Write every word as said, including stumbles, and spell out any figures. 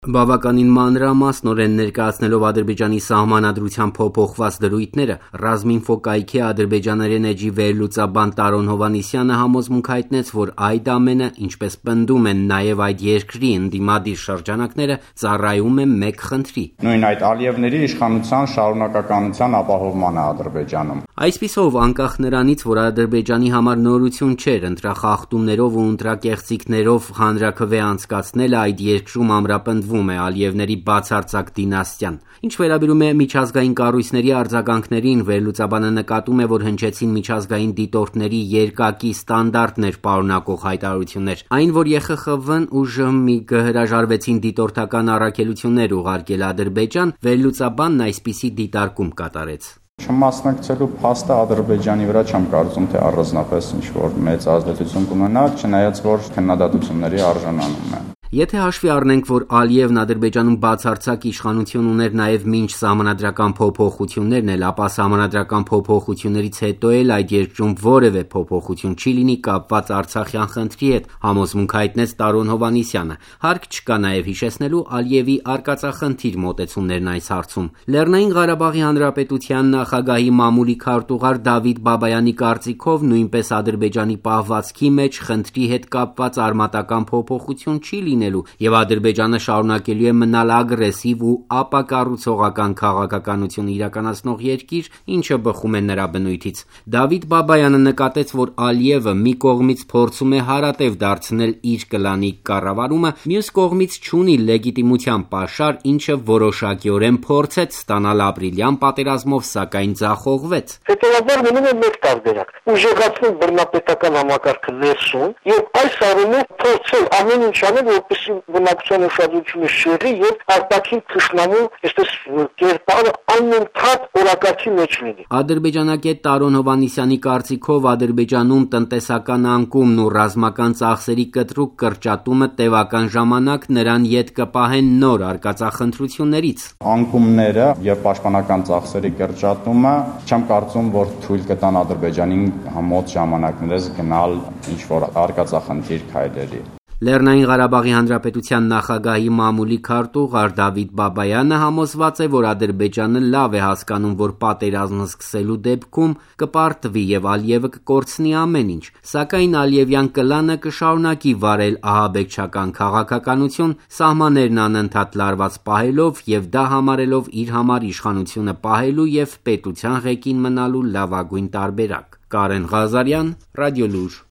Բավականին մանրամասնորեն ներկայացնելով Ադրբեջանի սահմանադրության փոփոխված դրույթները, Ռազմինֆո կայքի ադրբեջաներեն էջի վերլուծաբան Տարոն Հովհաննիսյանը համոզմունք հայտնեց, որ այդ ամենը, ինչպես պնդում են նաև այդ երկրի ընդդիմադիր շրջանակները, ծառայում է մեկ խնդրի. Նույն այդ Ալիևների իշխանության շարունակականության ապահովմանը Ադրբեջանում։ Այսպիսով, անկախ նրանից, որ Ադրբեջանի համար նորություն չէր ընտրախախտումներով ու ընտրակեղծիքներով հանրաքվե անցկացնելը, այդ երկրում ամրապնդվում է Ալիևների բացարձակ դինաստիան։ Ինչ վերաբերում է միջազգային կառույցների արձագանքներին, վերլուծաբանը նկատում է, որ հնչեցին միջազգային դիտորդների երկակի ստանդարտներ պարունակող հայտարարություններ։ Այն, որ Է Խ Խ V-ն ու ԺՄ I-ը հրաժարվեցին դիտորդական առաքելություններ ուղարկել Ադրբեջան, վերլուծաբանն այսպիսի դիտարկում կատարեց. Չմասնակցելու փաստը Ադրբեջանի վրա չեմ կարծում, թե առանձնապես ինչ-որ մեծ ազդեցություն կունենա, չնայած որ քննադատությունների արժանանում է։ Եթե հաշվի առնենք, որ Ալիևն Ադրբեջանում բացարձակ իշխանություն ուներ նաև մինչ սահմանադրական փոփոխություններն էլ, ապա սահմանադրական փոփոխություններից հետո էլ այդ երկրում որևէ փոփոխություն չի լինի կապված Արցախյան խնդրի հետ, համոզմունք հայտնեց Տարոն Հովհաննիսյանը։ Հարկ չկա նաև հիշեցնելու Ալիևի արկածախնդիր մոտեցումներն այս հարցում։ Լեռնային Ղարաբաղի Հանրապետության նախագահի մամուլի քարտուղար Դավիթ Բաբայանի կարծիքով նույնպես Ադրբեջանի պահվածքի մեջ խնդրի հետ կապված արմատական փոփոխություն չի լինի և Ադրբեջանը շարունակելու է մնալ ագրեսիվ ու ապակառուցողական քաղաքականություն իրականացնող երկիր, ինչը բխում է նրա բնույթից։ Դավիթ Բաբայանը նկատեց, որ Ալիևը մի կողմից փորձում է հարատև դարձնել իր կլանի կառավարումը, մյուս կողմից չունի լեգիտիմության պաշար, ինչը որոշակիորեն փորձեց ստանալ ապրիլյան պատերազմով, սակայն ձախողվեց։ Հետևաբար մնում է մեկ տարբերակ՝ ուժեղացնել բռնապետական համակարգը ներսում և այս առումով փորձել ամեն ինչ անել, որպեսզի բնակչության ուշադրությունը շեղի և արտաքին թշնամու այսպես կերպարը անընդհատ օրակարգի մեջ լինի։ Ադրբեջանագետ Տարոն Հովհաննիսյանի կարծիքով Ադրբեջանում տնտեսական անկումն ու ռազմական ծախսերի կտրուկ կրճատումը տևական ժամանակ նրան ետ կպահեն նոր արկածախնդրություններից։ Անկումները և պաշտպանական ծախսերի կրճատումը չեմ կարծում, որ թույլ կտան Ադրբեջանին մոտ ժամանակներս գնալ ինչ-որ արկածախնդիր քայլերի։ Լեռնային Ղարաբաղի Հանրապետության նախագահի մամուլի քարտուղար Դավիթ Բաբայանը համոզված է, որ Ադրբեջանը լավ է հասկանում, որ պատերազմ սկսելու դեպքում կպարտվի և Ալիևը կկորցնի ամեն ինչ, սակայն Ալիևյան կլանը կշարունակի վարել ահաբեկչական քաղաքականություն, սահմաններն անընդհատ լարված պահելով և դա համարելով իր համար իշխանությունը պահելու և պետության ղեկին մնալու լավագույն տարբերակ։ Կարեն Ղազարյան, Ռադիոլուր։